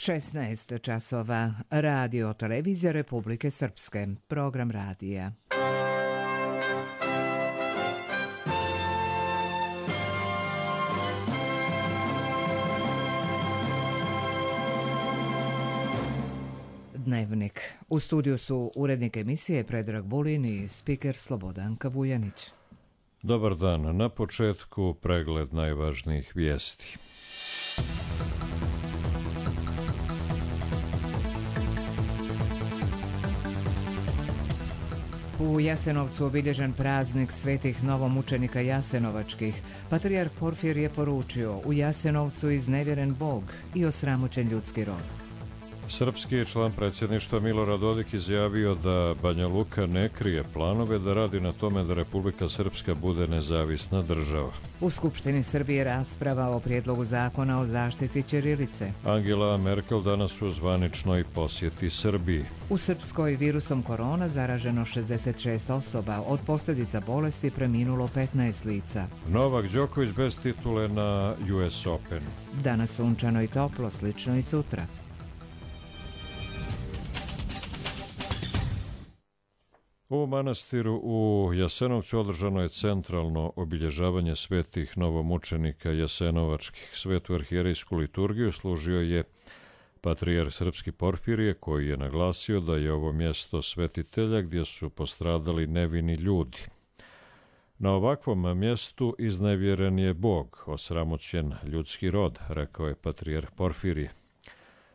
16 časova. Radio televizija Republike Srpske. Program radija. Dnevnik. U studiju su urednik emisije Predrag Vulin i spiker Slobodanka Vujanić. Dobar dan. Na početku pregled najvažnijih vijesti. U Jasenovcu obilježen praznik svetih novomučenika jasenovačkih. Patrijarh Porfir je poručio: u Jasenovcu iznevjeren Bog i osramoćen ljudski rod. Srpski je član predsjedništva Milorad Dodik izjavio da Banja Luka ne krije planove da radi na tome da Republika Srpska bude nezavisna država. U Skupštini Srbije rasprava o prijedlogu zakona o zaštiti ćirilice. Angela Merkel danas u zvaničnoj posjeti Srbiji. U Srpskoj virusom korona zaraženo 66 osoba, od posljedica bolesti preminulo 15 lica. Novak Đoković bez titule na US Open. Danas sunčano i toplo, slično i sutra. U manastiru u Jasenovcu održano je centralno obilježavanje svetih novomučenika jasenovačkih. Svetu arhijerejsku liturgiju služio je patrijarh Srpski Porfirije, koji je naglasio da je ovo mjesto svetitelja gdje su postradali nevini ljudi. Na ovakvom mjestu iznevjeren je Bog, osramoćen ljudski rod, rekao je patrijarh Porfirije.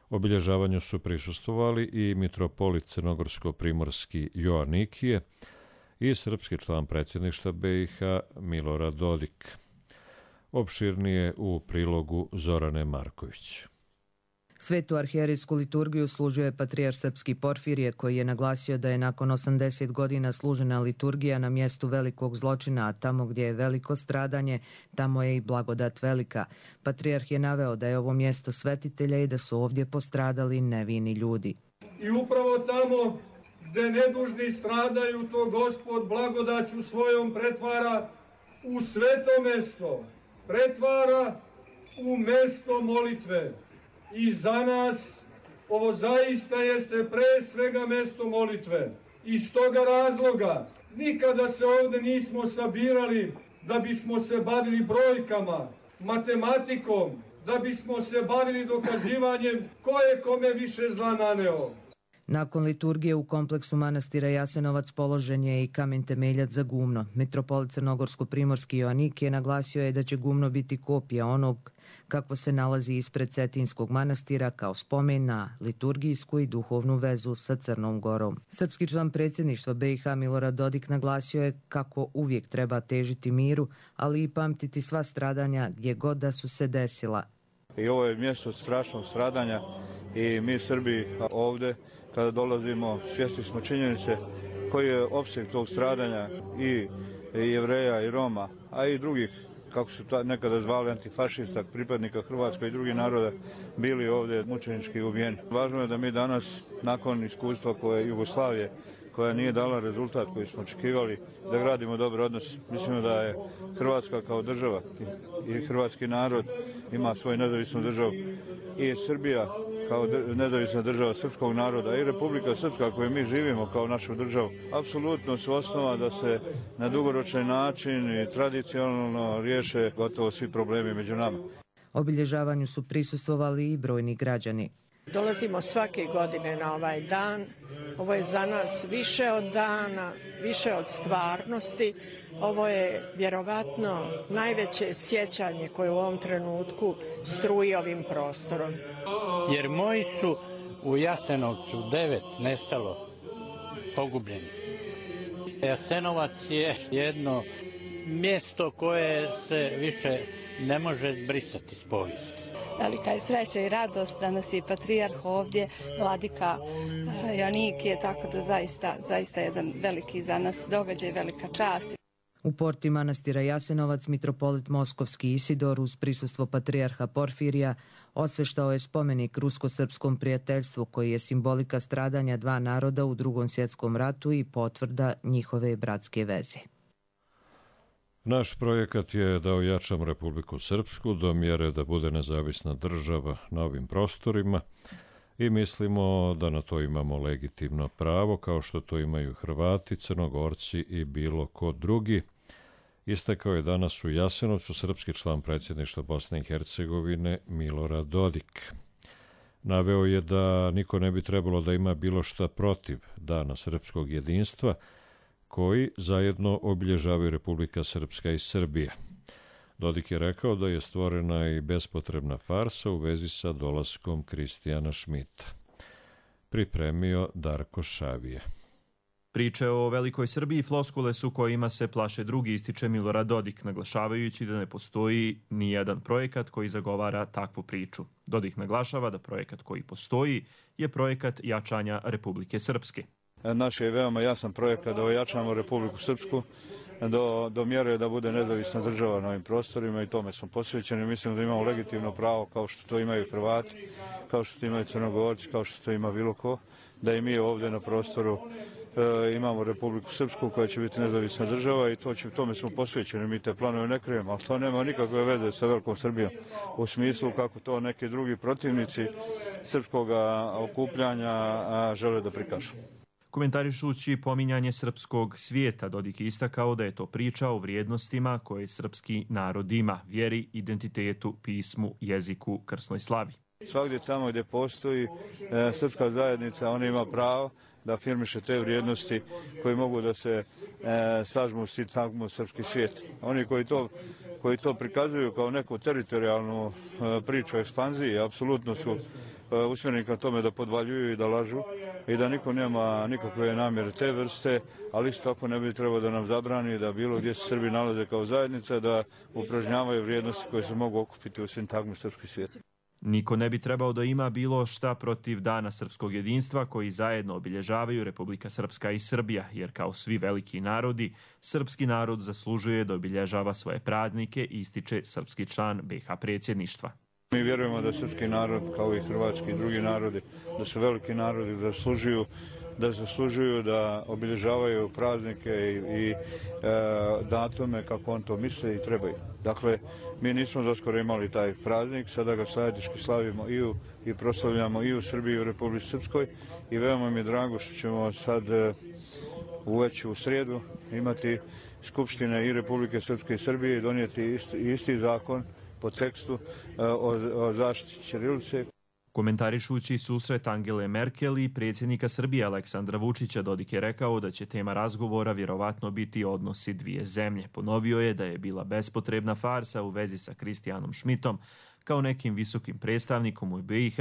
Obilježavanju su prisustvovali i mitropolit crnogorsko-primorski Joanikije i srpski član predsjedništva BiH Milorad Dodik. Opširnije u prilogu Zorane Marković. Svetu arhijerejsku liturgiju služio je patrijarh Srpski Porfirije, koji je naglasio da je nakon 80 godina služena liturgija na mjestu velikog zločina, a tamo gdje je veliko stradanje, tamo je i blagodat velika. Patrijarh je naveo da je ovo mjesto svetitelja i da su ovdje postradali nevini ljudi. I upravo tamo gdje nedužni stradaju, to Gospod blagodaću svojom pretvara u sveto mesto, pretvara u mesto molitve. I za nas ovo zaista jeste pre svega mesto molitve. Iz toga razloga nikada se ovdje nismo sabirali da bismo se bavili brojkama, matematikom, da bismo se bavili dokazivanjem ko je kome više zla naneo. Nakon liturgije u kompleksu manastira Jasenovac položen je i kamen temeljac za gumno. Mitropolit crnogorsko-primorski Joanikije naglasio je da će gumno biti kopija onog kako se nalazi ispred Cetinskog manastira kao spomen na liturgijsku i duhovnu vezu sa Crnom Gorom. Srpski član predsjedništva BiH Milorad Dodik naglasio je kako uvijek treba težiti miru, ali i pamtiti sva stradanja gdje god da su se desila. I ovo je mjesto strašnog stradanja i mi Srbi ovdje kada dolazimo svjesni smo činjenice koji je opseg tog stradanja i Jevreja i Roma, a i drugih, kako su nekada zvali, antifašista, pripadnika Hrvatske i drugih naroda, bili ovdje mučenički ubijeni. Važno je da mi danas, nakon iskustva koje Jugoslavije, koja nije dala rezultat koji smo očekivali, da gradimo dobar odnos. Mislimo da je Hrvatska kao država i hrvatski narod ima svoju nezavisnu državu i Srbija kao nezavisna država srpskog naroda i Republika Srpska koju mi živimo kao našu državu, apsolutno su osnova da se na dugoročan način i tradicionalno riješe gotovo svi problemi među nama. Obilježavanju su prisustvovali i brojni građani. Dolazimo svake godine na ovaj dan. Ovo je za nas više od dana, više od stvarnosti. Ovo je vjerovatno najveće sjećanje koje u ovom trenutku struji ovim prostorom. Jer moji su u Jasenovcu 9 nestalo, pogubljeni. Jasenovac je jedno mjesto koje se više ne može zbrisati s povijesti. Velika je sreća i radost da nas je patrijarh ovdje, vladika Joanikije, tako da zaista jedan veliki za nas događaj, velika čast. U porti manastira Jasenovac mitropolit Moskovski Isidor uz prisustvo patrijarha Porfirija osveštao je spomenik rusko-srpskom prijateljstvu koji je simbolika stradanja dva naroda u Drugom svjetskom ratu i potvrda njihove bratske veze. Naš projekat je da ojačamo Republiku Srpsku do mjere da bude nezavisna država na ovim prostorima i mislimo da na to imamo legitimno pravo, kao što to imaju Hrvati, Crnogorci i bilo ko drugi. Istakao je danas u Jasenovcu srpski član predsjedništva Bosne i Hercegovine Milorad Dodik. Naveo je da niko ne bi trebalo da ima bilo šta protiv Dana srpskog jedinstva, koji zajedno obilježavaju Republika Srpska i Srbija. Dodik je rekao da je stvorena i bespotrebna farsa u vezi sa dolaskom Kristijana Šmita. Pripremio Darko Šavije. Priče o velikoj Srbiji floskule su kojima se plaše drugi, ističe Milorad Dodik, naglašavajući da ne postoji ni jedan projekat koji zagovara takvu priču. Dodik naglašava da projekat koji postoji je projekat jačanja Republike Srpske. Naš je veoma jasan projekat da ojačamo Republiku Srpsku do mjere da bude nezavisna država na ovim prostorima i tome smo posvećeni. Mislim da imamo legitimno pravo, kao što to imaju Hrvati, kao što to imaju Crnogorci, kao što to ima bilo ko, da i mi ovdje na prostoru imamo Republiku Srpsku koja će biti nezavisna država i tome smo posvećeni. Mi te planove ne krijemo, ali to nema nikakve veze sa velikom Srbijom u smislu kako to neki drugi protivnici srpskog okupljanja žele da prikažu. Komentarišući pominjanje srpskog svijeta, Dodik je istakao da je to priča o vrijednostima koje srpski narod ima, vjeri, identitetu, pismu, jeziku, krsnoj slavi. Svagdje tamo gdje postoji srpska zajednica, ona ima pravo da afirmiše te vrijednosti koje mogu da se sažmu u sintagmu srpski svijet. Oni koji to prikazuju kao neku teritorijalnu priču o ekspanziji, apsolutno su usmjereni ka tome da podvaljuju i da lažu i da niko nema nikakve namjere te vrste, ali isto tako ne bi trebalo da nam zabrani da bilo gdje se Srbi nalaze kao zajednica da upražnjavaju vrijednosti koje se mogu okupiti u sintagmu srpski svijet. Niko ne bi trebao da ima bilo šta protiv Dana srpskog jedinstva koji zajedno obilježavaju Republika Srpska i Srbija, jer kao svi veliki narodi, srpski narod zaslužuje da obilježava svoje praznike, ističe srpski član BiH predsjedništva. Mi vjerujemo da srpski narod, kao i hrvatski i drugi narodi, da su veliki narodi, da zaslužuju da obilježavaju praznike i datume kako on to misle i trebaju. Dakle, mi nismo doskoro imali taj praznik, sada ga zajednički slavimo i proslavljamo i u Srbiji i u Republici Srpskoj i veoma mi je drago što ćemo sad već u srijedu imati skupštine i Republike Srpske i Srbije i donijeti isti zakon po tekstu o zaštiti ćirilice. Komentarišući susret Angele Merkel i predsjednika Srbije Aleksandra Vučića, Dodik je rekao da će tema razgovora vjerovatno biti odnosi dvije zemlje. Ponovio je da je bila bespotrebna farsa u vezi sa Kristijanom Šmitom kao nekim visokim predstavnikom u BiH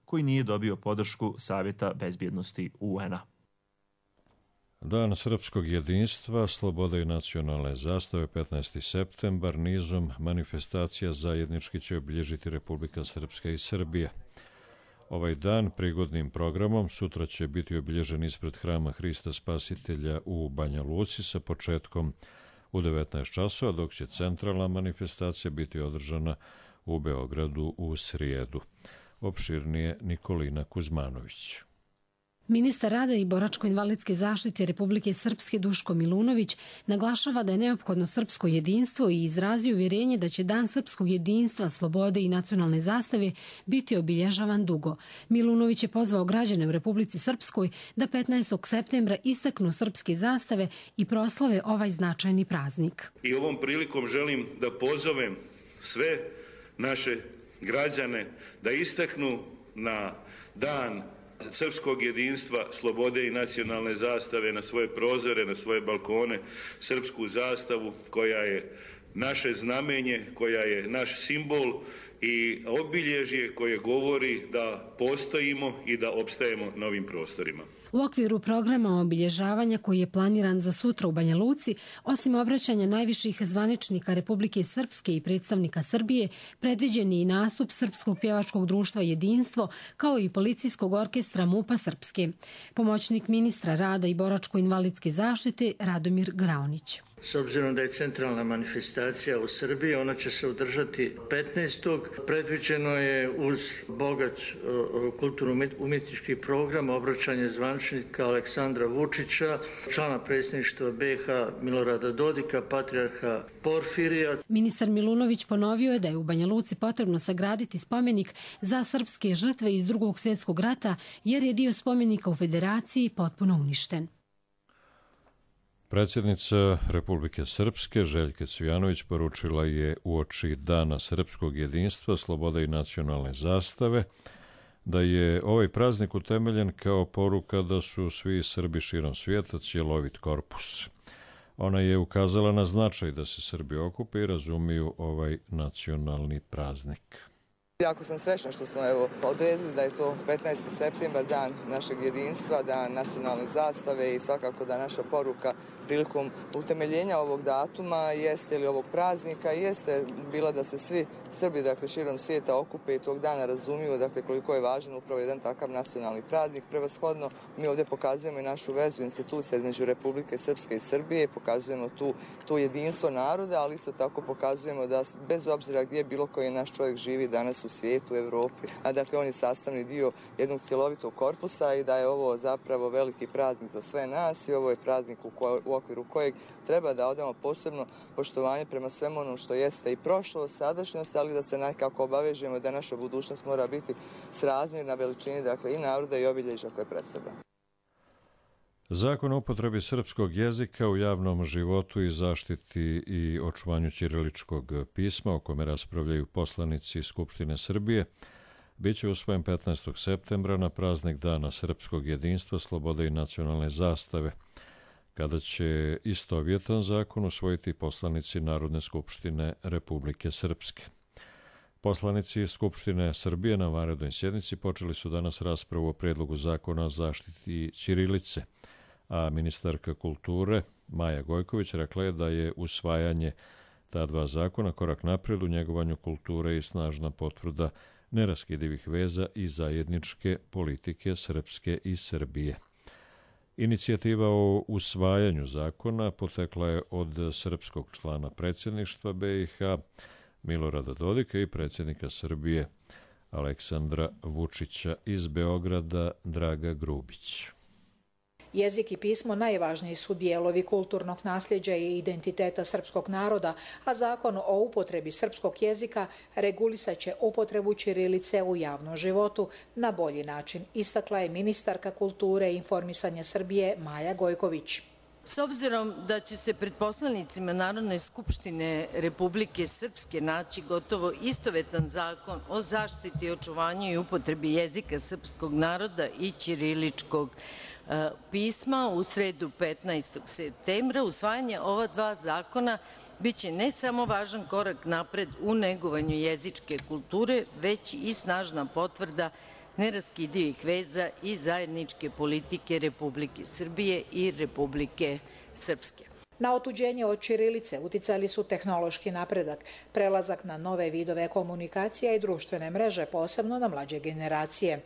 koji nije dobio podršku Savjeta bezbjednosti UN-a. Dan srpskog jedinstva, slobode i nacionalne zastave 15. septembar nizom manifestacija zajednički će obilježiti Republika Srpska i Srbija. Ovaj dan prigodnim programom sutra će biti obilježen ispred Hrama Hrista Spasitelja u Banja Luci sa početkom u 19 časova, dok će centralna manifestacija biti održana u Beogradu u srijedu. Opširnije Nikolina Kuzmanović. Ministar rada i boračko-invalidske zaštite Republike Srpske Duško Milunović naglašava da je neophodno srpsko jedinstvo i izrazio uvjerenje da će Dan srpskog jedinstva, slobode i nacionalne zastave biti obilježavan dugo. Milunović je pozvao građane u Republici Srpskoj da 15. septembra istaknu srpske zastave i proslave ovaj značajni praznik. I ovom prilikom želim da pozovem sve naše građane da istaknu na Dan srpskog jedinstva, slobode i nacionalne zastave na svoje prozore, na svoje balkone, srpsku zastavu koja je naše znamenje, koja je naš simbol i obilježje koje govori da postojimo i da opstajemo na ovim prostorima. U okviru programa obilježavanja koji je planiran za sutra u Banja Luci, osim obraćanja najviših zvaničnika Republike Srpske i predstavnika Srbije, predviđen je i nastup Srpskog pjevačkog društva Jedinstvo, kao i policijskog orkestra MUP-a Srpske. Pomoćnik ministra rada i boračko-invalidske zaštite Radomir Graonić. S obzirom da je centralna manifestacija u Srbiji, ona će se održati 15. predviđeno je uz bogat kulturno-umjetnički program obraćanje zvaničnika Aleksandra Vučića, člana predsjedništva BiH Milorada Dodika, patrijarha Porfirija. Ministar Milunović ponovio je da je u Banja Luci potrebno sagraditi spomenik za srpske žrtve iz Drugog svjetskog rata jer je dio spomenika u Federaciji potpuno uništen. Predsjednica Republike Srpske Željka Cvijanović poručila je uoči Dana srpskog jedinstva, slobode i nacionalne zastave da je ovaj praznik utemeljen kao poruka da su svi Srbi širom svijeta cjelovit korpus. Ona je ukazala na značaj da se Srbi okupe i razumiju ovaj nacionalni praznik. Jako sam srećna što smo odredili da je to 15. septembar, dan našeg jedinstva, dan nacionalne zastave i svakako da naša poruka prilikom utemeljenja ovog datuma jeste ili ovog praznika jeste bila da se svi Srbi širom svijeta okupe i tog dana razumiju koliko je važan upravo jedan takav nacionalni praznik. Prevashodno mi ovdje pokazujemo i našu vezu institucija između Republike Srpske i Srbije, pokazujemo tu jedinstvo naroda, ali isto tako pokazujemo da bez obzira gdje bilo koji naš čovjek živi danas u svijetu, u Evropi, a on je sastavni dio jednog cjelovitog korpusa i da je ovo zapravo veliki praznik za sve nas i ovo je praznik u okviru kojeg treba da odamo posebno poštovanje prema svemu onom što jeste i prošlost, sadašnjost, ali da se nekako obavežemo da naša budućnost mora biti srazmjerna veličini i naroda i obilježja koje predstavlja. Zakon o upotrebi srpskog jezika u javnom životu i zaštiti i očuvanju ćiriličkog pisma, o kome raspravljaju poslanici Skupštine Srbije, biće usvojen 15. septembra na praznik Dana srpskog jedinstva, slobode i nacionalne zastave, kada će istovjetan zakon usvojiti poslanici Narodne skupštine Republike Srpske. Poslanici Skupštine Srbije na vanrednoj sjednici počeli su danas raspravu o prijedlogu zakona o zaštiti ćirilice, a ministarka kulture Maja Gojković rekla je da je usvajanje ta dva zakona korak naprijed u njegovanju kulture i snažna potvrda neraskidivih veza i zajedničke politike Srpske i Srbije. Inicijativa o usvajanju zakona potekla je od srpskog člana predsjedništva BiH Milorada Dodika i predsjednika Srbije Aleksandra Vučića, iz Beograda Draga Grubić. Jezik i pismo najvažniji su dijelovi kulturnog nasljeđa i identiteta srpskog naroda, a zakon o upotrebi srpskog jezika regulisat će upotrebu ćirilice u javnom životu na bolji način, istakla je ministarka kulture i informisanja Srbije Maja Gojković. S obzirom da će se pred poslanicima Narodne skupštine Republike Srpske naći gotovo istovetan zakon o zaštiti i očuvanju i upotrebi jezika srpskog naroda i ćiriličkog pisma, u sredu 15. septembra usvajanje ova dva zakona biće ne samo važan korak napred u negovanju jezičke kulture, već i snažna potvrda neraskidivih veza i zajedničke politike Republike Srbije i Republike Srpske. Na otuđenje od ćirilice uticali su tehnološki napredak, prelazak na nove vidove komunikacija i društvene mreže, posebno na mlađe generacije.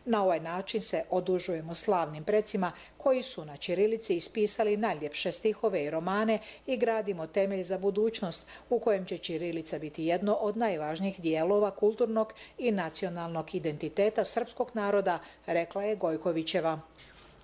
Na ovaj način se odužujemo slavnim precima koji su na ćirilici ispisali najljepše stihove i romane i gradimo temelj za budućnost u kojem će ćirilica biti jedno od najvažnijih dijelova kulturnog i nacionalnog identiteta srpskog naroda, rekla je Gojkovićeva.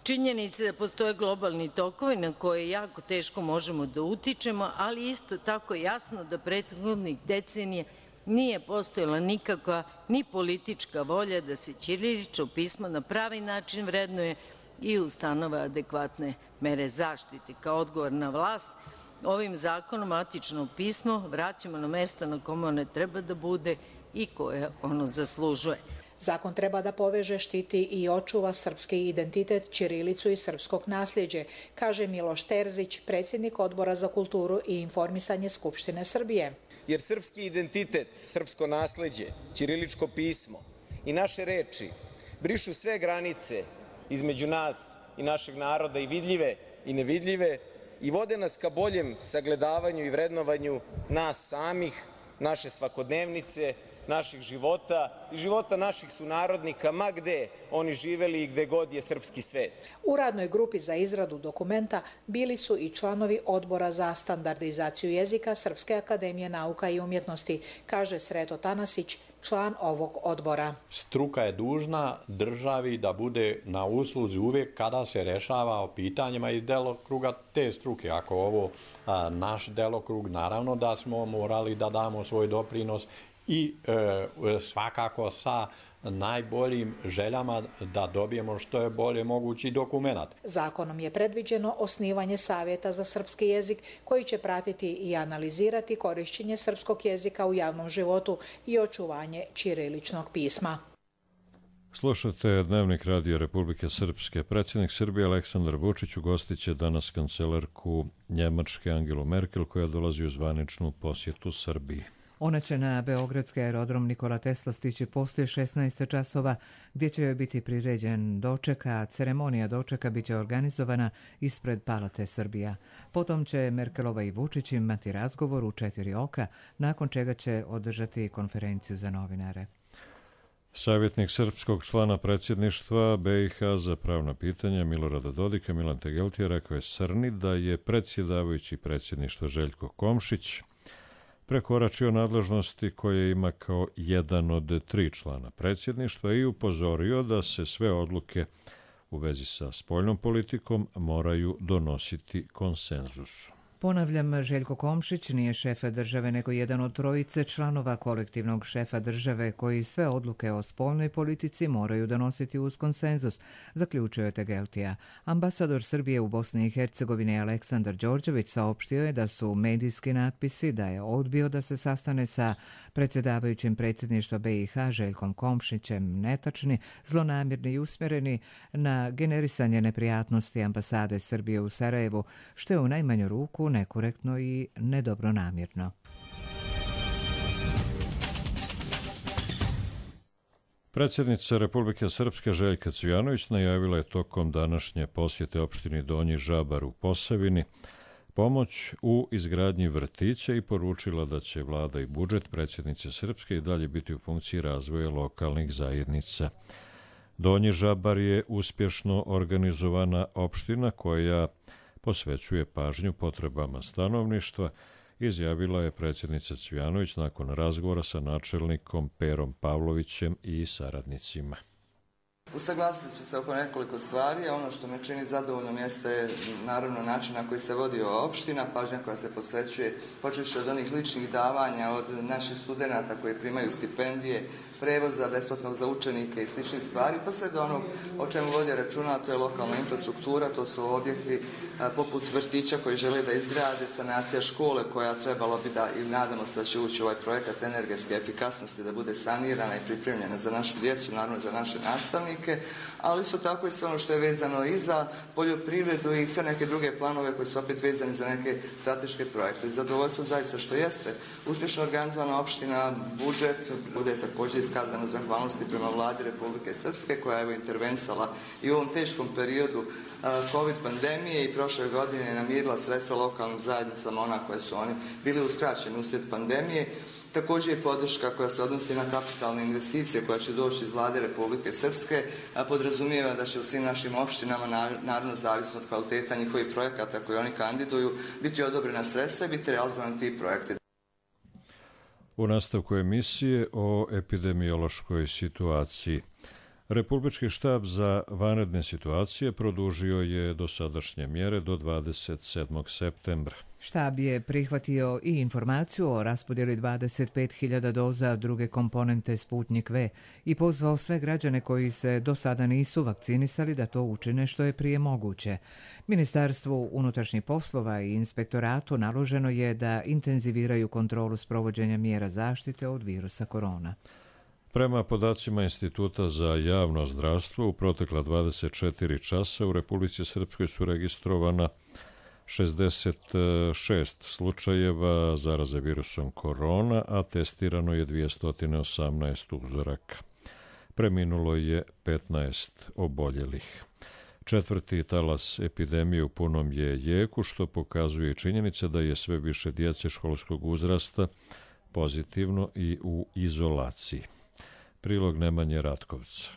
Činjenica da postoje globalni tokovi na koje jako teško možemo da utičemo, ali isto tako jasno da prethodnih decenija nije postojala nikakva ni politička volja da se ćirilično pismo na pravi način vrednuje i ustanove adekvatne mere zaštite. Kao odgovorna vlast, ovim zakonom matično pismo vraćamo na mesto na kome ono treba da bude i koje ono zaslužuje. Zakon treba da poveže, štiti i očuva srpski identitet, ćirilicu i srpskog nasljeđe, kaže Miloš Terzić, predsjednik Odbora za kulturu i informisanje Skupštine Srbije. Jer srpski identitet, srpsko nasljeđe, ćiriličko pismo i naše reči brišu sve granice između nas i našeg naroda, i vidljive i nevidljive, i vode nas ka boljem sagledavanju i vrednovanju nas samih, naše svakodnevnice, naših života i života naših sunarodnika, ma gde oni živeli i gde god je srpski svet. U radnoj grupi za izradu dokumenta bili su i članovi Odbora za standardizaciju jezika Srpske akademije nauka i umjetnosti, kaže Sreto Tanasić, član ovog odbora. Struka je dužna državi da bude na usluzi uvijek kada se rešava o pitanjima iz delokruga te struke. Ako ovo naš delokrug, naravno da smo morali da damo svoj doprinos i svakako sa najboljim željama da dobijemo što je bolje mogući dokumenat. Zakonom je predviđeno osnivanje Savjeta za srpski jezik koji će pratiti i analizirati korišćenje srpskog jezika u javnom životu i očuvanje ćiriličnog pisma. Slušate Dnevnik Radija Republike Srpske. Predsjednik Srbije Aleksandar Vučić ugostit će danas kancelarku Njemačke Angelu Merkel koja dolazi u zvaničnu posjetu Srbiji. Ona će na beogradski aerodrom Nikola Tesla stići poslije 16 časova, gdje će joj biti priređen doček, a ceremonija dočeka biće organizovana ispred Palate Srbija. Potom će Merkelova i Vučić imati razgovor u 4 oka, nakon čega će održati konferenciju za novinare. Savjetnik srpskog člana predsjedništva BiH za pravna pitanja Milorada Dodika, Milan Tegeltija, rekao je Srni da je predsjedavajući predsjedništva Željko Komšić prekoračio nadležnosti koje ima kao jedan od 3 člana predsjedništva i upozorio da se sve odluke u vezi sa spoljnom politikom moraju donositi konsenzusom. Ponavljam, Željko Komšić nije šef države, nego jedan od 3 članova kolektivnog šefa države koji sve odluke o spoljnoj politici moraju donositi uz konsenzus, zaključio je Tegeltija. Ambasador Srbije u Bosni i Hercegovini Aleksandar Đorđević saopštio je da su medijski natpisi da je odbio da se sastane sa predsjedavajućim predsjedništva BiH Željkom Komšićem netačni, zlonamjerni i usmjereni na generisanje neprijatnosti ambasade Srbije u Sarajevu, što je u najmanju ruku nekorektno i nedobronamjerno. Predsjednica Republike Srpske Željka Cvijanović najavila je tokom današnje posjete opštini Donji Žabar u Posavini pomoć u izgradnji vrtića i poručila da će vlada i budžet predsjednice Srpske i dalje biti u funkciji razvoja lokalnih zajednica. Donji Žabar je uspješno organizovana opština koja posvećuje pažnju potrebama stanovništva, izjavila je predsjednica Cvijanović nakon razgovora sa načelnikom Perom Pavlovićem i saradnicima. Usaglasili smo se oko nekoliko stvari, a ono što me čini zadovoljnom jeste naravno način na koji se vodi ova opština, pažnja koja se posvećuje počevši od onih ličnih davanja, od naših studenata koji primaju stipendije, prevoza besplatnog za učenike i sličnih stvari, pa sve do onog o čemu vodi računa, to je lokalna infrastruktura, to su objekti poput vrtića koji žele da izgrade, sanacija škole koja trebalo bi da, i nadamo se da će ući ovaj projekat energetske efikasnosti, da bude sanirana i pripremljena za našu djecu, naravno za naše nastavnike, ali isto tako i sve ono što je vezano i za poljoprivredu i sve neke druge planove koji su opet vezani za neke strateške projekte. Zadovoljstvo zaista što jeste uspješno organizovana opština, budžet, bude također iskazano zahvalnosti prema vladi Republike Srpske koja je intervensala i u ovom teškom periodu COVID pandemije i prošle godine namirila sredstva lokalnim zajednicama, ona koje su oni bili uskraćeni uslijed pandemije. Također je podrška koja se odnosi na kapitalne investicije koja će doći iz vlade Republike Srpske, a podrazumijeva da će u svim našim opštinama, naravno zavisno od kvaliteta njihovih projekata koje oni kandiduju, biti odobrena sredstva i biti realizovani ti projekti. U nastavku emisije o epidemiološkoj situaciji. Republički štab za vanredne situacije produžio je dosadašnje mjere do 27. septembra. Štab je prihvatio i informaciju o raspodjeli 25.000 doza druge komponente Sputnik V i pozvao sve građane koji se do sada nisu vakcinisali da to učine što je prije moguće. Ministarstvu unutrašnjih poslova i inspektoratu naloženo je da intenziviraju kontrolu sprovođenja mjera zaštite od virusa korona. Prema podacima Instituta za javno zdravstvo, u protekla 24 časa u Republici Srpskoj su registrovana 66 slučajeva zaraze virusom korona, a testirano je 218 uzoraka. Preminulo je 15 oboljelih. 4. talas epidemije u punom je jeku, što pokazuje činjenica da je sve više djece školskog uzrasta pozitivno i u izolaciji. Prilog Nemanje Ratkovca.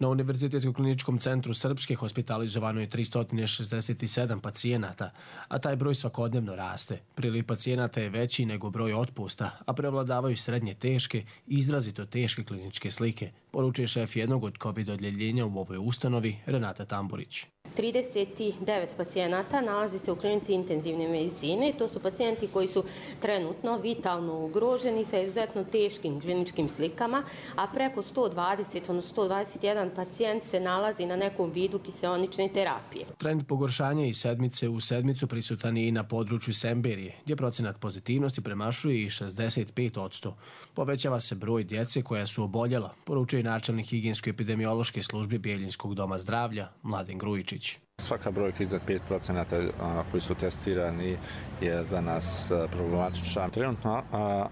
Na Univerzitetskom kliničkom centru Srpske hospitalizovano je 367 pacijenata, a taj broj svakodnevno raste. Priliv pacijenata je veći nego broj otpusta, a prevladavaju srednje teške i izrazito teške kliničke slike, poručuje šef jednog od COVID odjeljenja u ovoj ustanovi, Renata Tamburić. 39 pacijenata nalazi se u klinici intenzivne medicine. To su pacijenti koji su trenutno vitalno ugroženi sa izuzetno teškim kliničkim slikama, a preko 120, odnosno 121 pacijent se nalazi na nekom vidu kiseonične terapije. Trend pogoršanja iz sedmice u sedmicu prisutan je i na području Semberije, gdje procenat pozitivnosti premašuje i 65%. Povećava se broj djece koja su oboljela, poručuje načelnik higijensko-epidemiološke službe Bijeljinskog doma zdravlja, Mladen Grujičić. Svaka brojka iznad 5% koji su testirani je za nas problematična. Trenutno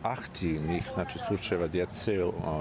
aktivnih slučajeva djece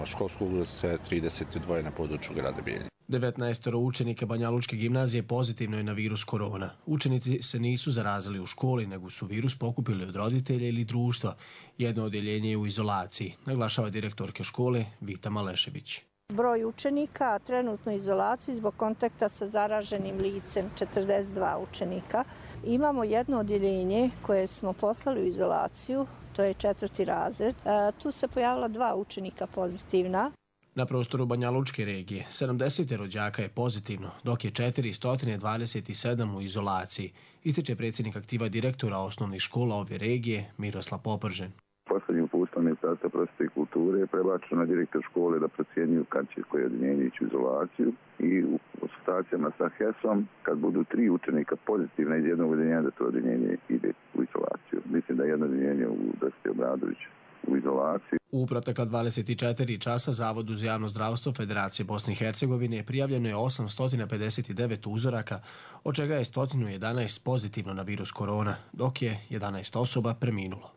školskog uzrasta je 32 na području grada Bijeljine. 19 učenika Banjalučke gimnazije pozitivno je na virus korona. Učenici se nisu zarazili u školi, nego su virus pokupili od roditelja ili društva. Jedno odjeljenje je u izolaciji, naglašava direktorka škole Vita Malešević. Broj učenika trenutno u izolaciji zbog kontakta sa zaraženim licem 42 učenika. Imamo jedno odjeljenje koje smo poslali u izolaciju, to je 4. razred. Tu se pojavila 2 učenika pozitivna. Na prostoru Banjalučke regije 70 rođaka je pozitivno, dok je 427 u izolaciji, ističe predsjednik aktiva direktora osnovnih škola ove regije Miroslav Popržen. Poslednjim uputstvom Ministarstva prosvjete i kulture je prebačeno na direktor škole da procjenjuju kad će koje odjeljenje ići u izolaciju i u konsultacijama sa HES-om kad budu 3 učenika pozitivna iz jednog odjeljenja da to odjeljenje ide u izolaciju. Mislim da je jedno odjeljenje u Dositej Obradović u izolaciji. U protekla 24 časa Zavodu za javno zdravstvo Federacije Bosne i Hercegovine prijavljeno je 859 uzoraka, od čega je 111 pozitivno na virus korona, dok je 11 osoba preminulo.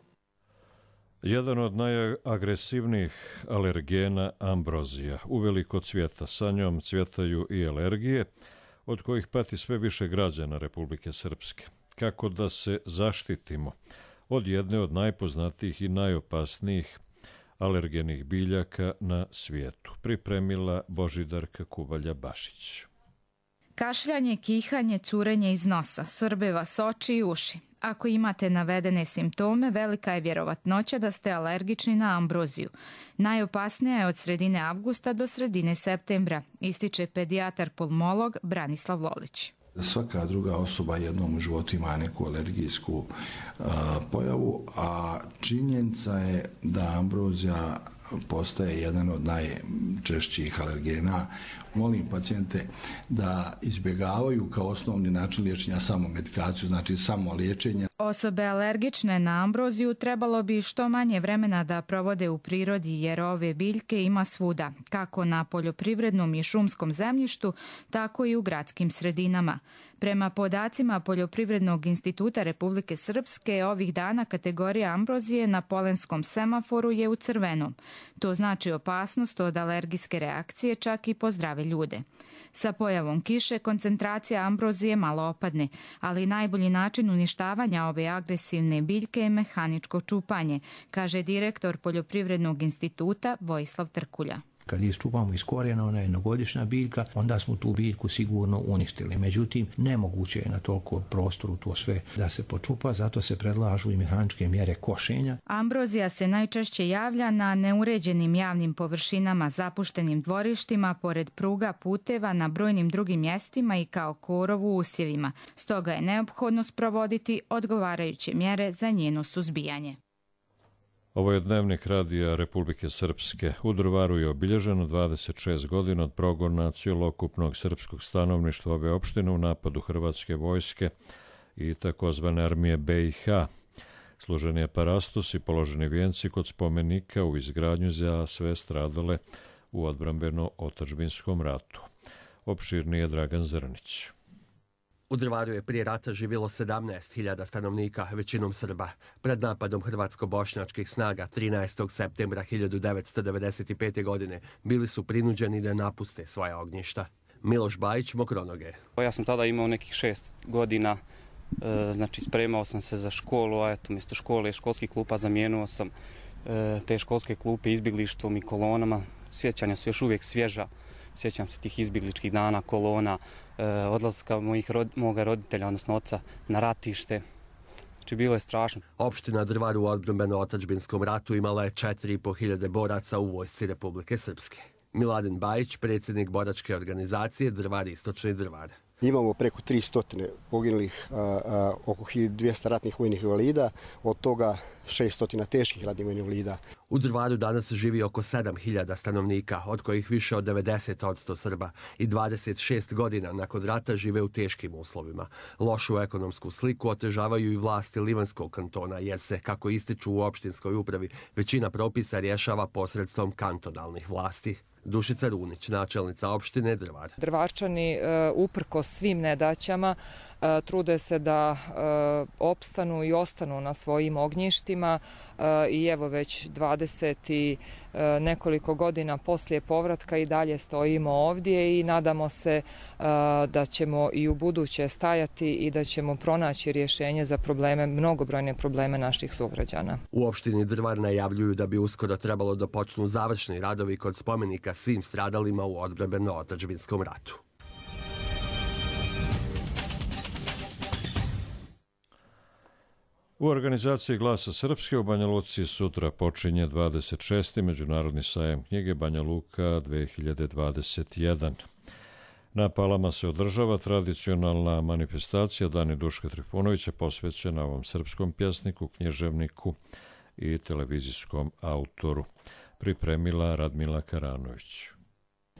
Jedan od najagresivnijih alergena ambrozija uveliko cvjeta. Sa njom cvjetaju i alergije, od kojih pati sve više građana Republike Srpske. Kako da se zaštitimo od jedne od najpoznatijih i najopasnijih alergenih biljaka na svijetu? Pripremila Božidarka Kubalja-Bašić. Kašljanje, kihanje, curenje iz nosa, svrbe vas oči i uši. Ako imate navedene simptome, velika je vjerovatnoća da ste alergični na ambroziju. Najopasnija je od sredine avgusta do sredine septembra, ističe pedijatar pulmolog Branislav Lolić. Svaka druga osoba jednom u životu ima neku alergijsku pojavu, a činjenica je da ambrozija postaje jedan od najčešćih alergena. Molim pacijente da izbjegavaju kao osnovni način liječenja samo medikaciju, znači samo liječenje. Osobe alergične na ambroziju trebalo bi što manje vremena da provode u prirodi jer ove biljke ima svuda, kako na poljoprivrednom i šumskom zemljištu, tako i u gradskim sredinama. Prema podacima Poljoprivrednog instituta Republike Srpske, ovih dana kategorija ambrozije na polenskom semaforu je u crvenom. To znači opasnost od alergijske reakcije čak i po zdrave ljude. Sa pojavom kiše koncentracija ambrozije malo opadne, ali najbolji način uništavanja ove agresivne biljke je mehaničko čupanje, kaže direktor Poljoprivrednog instituta Vojislav Trkulja. Kad iščupamo iz korijena, ona je jednogodišnja biljka, onda smo tu biljku sigurno uništili. Međutim, nemoguće je na toliko prostoru to sve da se počupa, zato se predlažu i mehaničke mjere košenja. Ambrozija se najčešće javlja na neuređenim javnim površinama, zapuštenim dvorištima, pored pruga, puteva, na brojnim drugim mjestima i kao korov u usjevima. Stoga je neophodno sprovoditi odgovarajuće mjere za njeno suzbijanje. Ovo je dnevnik radija Republike Srpske. U Drvaru je obilježeno 26 godina od progona cijelokupnog srpskog stanovništva ove opštine u napadu Hrvatske vojske i takozvane armije BiH. Služen je parastos i položeni vijenci kod spomenika u izgradnju za sve stradale u odbrambeno-otadžbinskom ratu. Opširni je Dragan Zrnić. U Drvaru je prije rata živjelo 17.000 stanovnika, većinom Srba. Pred napadom hrvatsko-bošnjačkih snaga 13. septembra 1995. godine bili su prinuđeni da napuste svoja ognjišta. Miloš Bajić, Mokronoge. Ja sam tada imao nekih 6 godina, znači spremao sam se za školu, a eto mjesto škole i školskih klupa zamijenuo sam te školske klupe izbjeglištvom i kolonama. Sjećanja su još uvijek svježa Sjećam se tih izbjegličkih dana, kolona, odlaska moga roditelja, odnosno oca, na ratište. Znači, bilo je strašno. Opština Drvar u odbrambeno-otadžbinskom ratu imala je 4.500 boraca u vojsci Republike Srpske. Miladin Bajić, predsjednik boračke organizacije Drvar Istočni Drvar. Imamo preko 300 poginulih, oko 1200 ratnih vojnih invalida, od toga 600 teških ratnih vojnih invalida. U Drvaru danas živi oko 7.000 stanovnika, od kojih više od 90% Srba i 26 godina nakon rata žive u teškim uslovima. Lošu ekonomsku sliku otežavaju i vlasti Livanskog kantona, jer se, kako ističu u opštinskoj upravi, većina propisa rješava posredstvom kantonalnih vlasti. Dušica Runić, načelnica opštine Drvar. Drvarčani, uprkos svim nedaćama, trude se da opstanu i ostanu na svojim ognjištima i evo već 20 i nekoliko godina poslije povratka i dalje stojimo ovdje i nadamo se da ćemo i u buduće stajati i da ćemo pronaći rješenje za probleme, mnogobrojne probleme naših sugrađana. U opštini Drvar najavljuju da bi uskoro trebalo da počnu završni radovi kod spomenika svim stradalima u odbrambeno-otadžbinskom ratu. U organizaciji Glasa Srpske u Banja Luci sutra počinje 26. Međunarodni sajam knjige Banja Luka 2021. Na Palama se održava tradicionalna manifestacija Dani Duška Trifunovića posvećena ovom srpskom pjesniku, književniku i televizijskom autoru. Pripremila Radmila Karanović.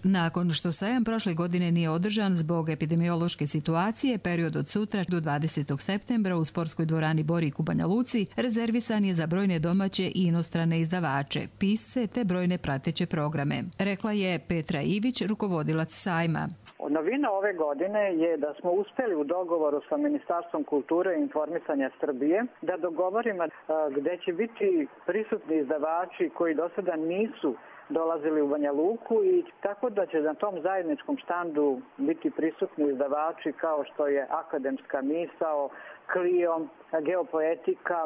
Nakon što sajam prošle godine nije održan zbog epidemiološke situacije, period od sutra do 20. septembra u sportskoj dvorani Borik u Banja Luci rezervisan je za brojne domaće i inostrane izdavače, pisce te brojne prateće programe. Rekla je Petra Ivić, rukovodilac sajma. Novina ove godine je da smo uspjeli u dogovoru sa Ministarstvom kulture i informisanja Srbije da dogovorimo gdje će biti prisutni izdavači koji do sada nisu dolazili u Banja Luku i tako da će na tom zajedničkom štandu biti prisutni izdavači kao što je Akademska misao, Clio, Geopoetika.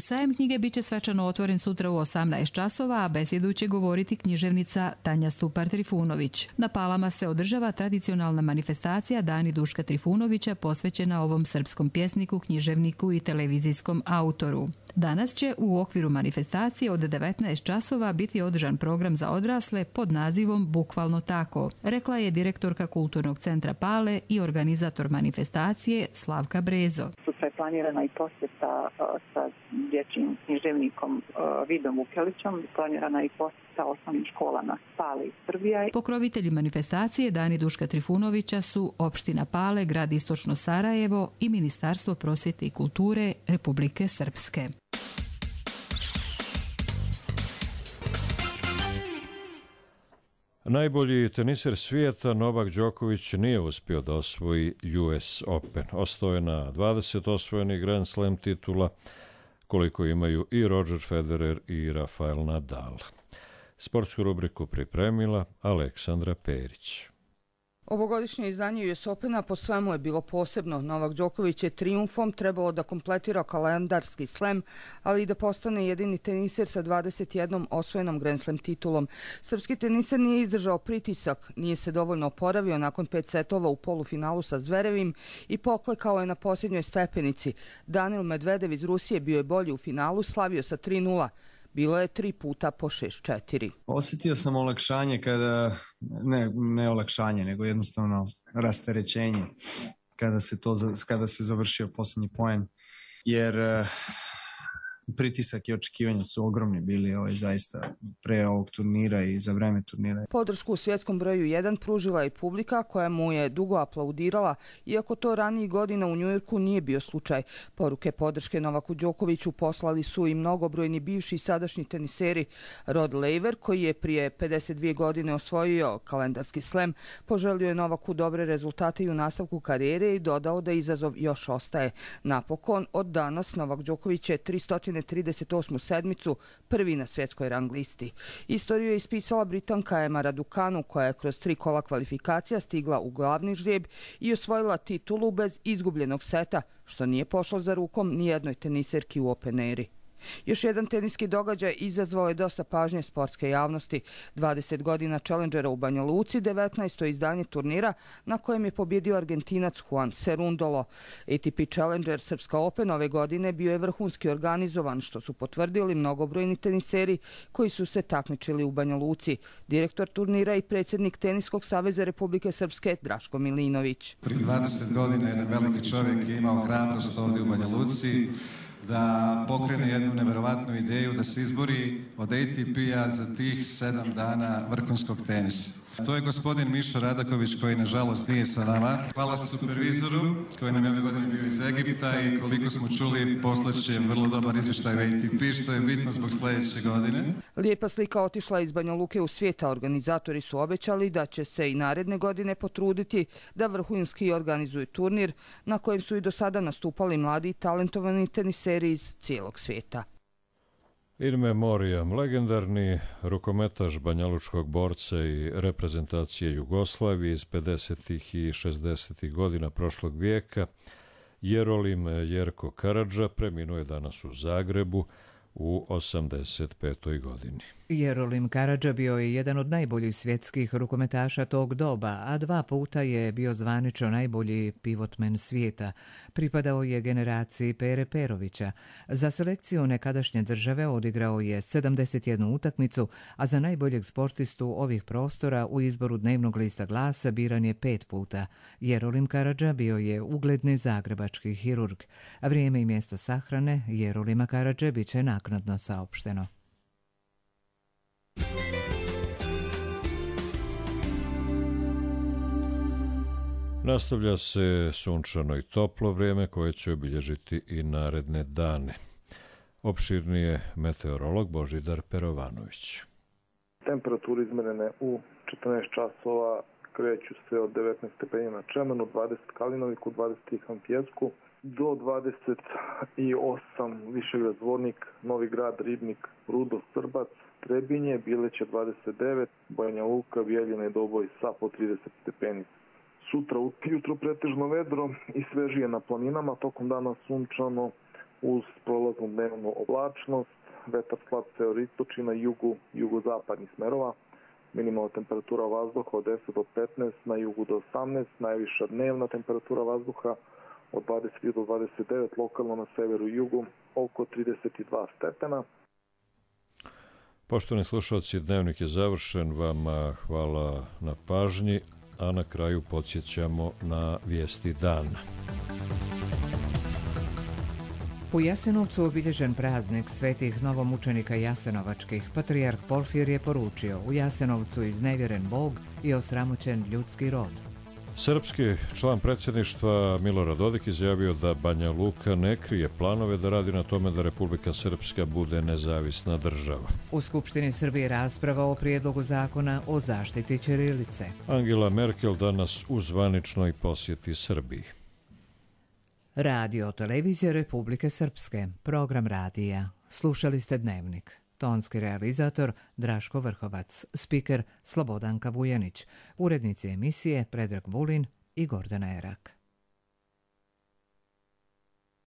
Sajam knjige biće svečano otvoren sutra u 18 časova, a besjedu će govoriti književnica Tanja Stupar Trifunović. Na Palama se održava tradicionalna manifestacija Dani Duška Trifunovića posvećena ovom srpskom pjesniku, književniku i televizijskom autoru. Danas će u okviru manifestacije od 19 časova biti održan program za odrasle pod nazivom Bukvalno tako, rekla je direktorka Kulturnog centra Pale i organizator manifestacije Slavka Brezo. Sutra je planirana i posjeta sa dječjim književnikom Vidom Vukelićom, planirana i posjeta osnovnim školama Pale i Srbija. Pokrovitelji manifestacije Dani Duška Trifunovića su opština Pale, grad Istočno Sarajevo i Ministarstvo prosvjete i kulture Republike Srpske. Najbolji teniser svijeta Novak Đoković nije uspio da osvoji US Open. Ostao je na 20 osvojenih Grand Slam titula, koliko imaju i Roger Federer i Rafael Nadal. Sportsku rubriku pripremila Aleksandra Perić. Ovogodišnje izdanje US Opena po svemu je bilo posebno. Novak Đoković je trijumfom trebalo da kompletira kalendarski slam, ali i da postane jedini teniser sa 21 osvojenom Grand Slam titulom. Srpski teniser nije izdržao pritisak, nije se dovoljno oporavio nakon 5 setova u polufinalu sa Zverevim i poklekao je na posljednjoj stepenici. Danil Medvedev iz Rusije bio je bolji u finalu, slavio sa 3:0. Bilo je 3 puta po 6-4. Osjetio sam olakšanje ne olakšanje, nego jednostavno rasterećenje kada se završio posljednji poen. Jer pritisak i očekivanja su ogromni bili zaista pre ovog turnira i za vreme turnira. Podršku u svjetskom broju 1 pružila je publika koja mu je dugo aplaudirala, iako to ranijih godina u Njujorku nije bio slučaj. Poruke podrške Novaku Đokoviću poslali su i mnogobrojni bivši i sadašnji teniseri. Rod Laver, koji je prije 52 godine osvojio kalendarski slam, poželio je Novaku dobre rezultate i u nastavku karijere i dodao da izazov još ostaje. Napokon, od danas Novak Đoković je 338. sedmicu, prvi na svjetskoj rang listi. Istoriju je ispisala Britanka Emma Raducanu, koja je kroz 3 kola kvalifikacija stigla u glavni žrijeb i osvojila titulu bez izgubljenog seta, što nije pošlo za rukom ni jednoj teniserki u Open eri. Još jedan teniski događaj izazvao je dosta pažnje sportske javnosti. 20 godina Challengera u Banja Luci, 19. izdanje turnira na kojem je pobjedio Argentinac Juan Cerundolo. ATP Challenger Srpska Open ove godine bio je vrhunski organizovan, što su potvrdili mnogobrojni teniseri koji su se takmičili u Banja Luci. Direktor turnira i predsjednik Teniskog saveza Republike Srpske Draško Milinović. Prije 20 godina jedan veliki čovjek je imao hrabrost ovdje u Banja Luci da pokrene jednu neverovatnu ideju da se izbori od ATP-a za tih 7 dana vrhunskog tenisa. To je gospodin Mišo Radaković koji nažalost nije sa nama. Hvala supervizoru koji nam je ove godine bio iz Egipta i koliko smo čuli poslaće vrlo dobar izvještaj u ATP što je bitno zbog sljedeće godine. Lijepa slika otišla iz Banja Luke u svijet, a organizatori su obećali da će se i naredne godine potruditi da vrhunski organizuju turnir na kojem su i do sada nastupali mladi i talentovani teniseri iz cijelog svijeta. In memoriam, legendarni rukometaš banjalučkog borca i reprezentacije Jugoslavije iz 50. i 60. godina prošlog vijeka, Jerolim Jerko Karadža preminuo je danas u Zagrebu u 85. godini. Jerolim Karadža bio je jedan od najboljih svjetskih rukometaša tog doba, a 2 puta je bio zvanično najbolji pivotmen svijeta. Pripadao je generaciji Pere Perovića. Za selekciju nekadašnje države odigrao je 71 utakmicu, a za najboljeg sportistu ovih prostora u izboru dnevnog lista Glasa biran je 5 puta. Jerolim Karadža bio je ugledni zagrebački hirurg. Vrijeme i mjesto sahrane Jerolima Karadže bit će naknadno saopšteno. Nastavlja se sunčano i toplo vrijeme koje će obilježiti i naredne dane. Opširnije meteorolog Božidar Perovanović. Temperature izmerene u 14 časova kreću se od 19 stepeni na Čemenu, 20 Kalinoviku, 20 Tihan Pjesku, do 28 Višegrad Zvornik, Novi Grad, Ribnik, Rudo, Srbac, Trebinje, Bileće 29, Banja Luka, Bijeljina i Doboj sa po 30 stepeni. Sutra ujutro pretežno vedro i svežije na planinama, tokom dana sunčano uz prolaznu dnevnu oblačnost, vetar slab severoistočni na jugozapadnih smerova, minimalna temperatura vazduha od 10 do 15, na jugu do 18, najviša dnevna temperatura vazduha od 20 do 29, lokalno na severu i jugu oko 32 stepena. Poštovani slušalci, dnevnik je završen, vama hvala na pažnji, a na kraju podsjećamo na vijesti dana. U Jasenovcu obilježen praznik svetih novomučenika jasenovačkih. Patrijarh Porfir je poručio: u Jasenovcu iznevjeren Bog i osramoćen ljudski rod. Srpski član predsjedništva Milorad Dodik izjavio da Banja Luka ne krije planove da radi na tome da Republika Srpska bude nezavisna država. U Skupštini Srbije rasprava o prijedlogu zakona o zaštiti ćirilice. Angela Merkel danas u zvaničnoj posjeti Srbiji. Radio televizija Republike Srpske, program radija. Slušali ste Dnevnik. Tonski realizator Draško Vrhovac, spiker Slobodanka Vujanić, urednici emisije Predrag Vulin i Gordana Erak.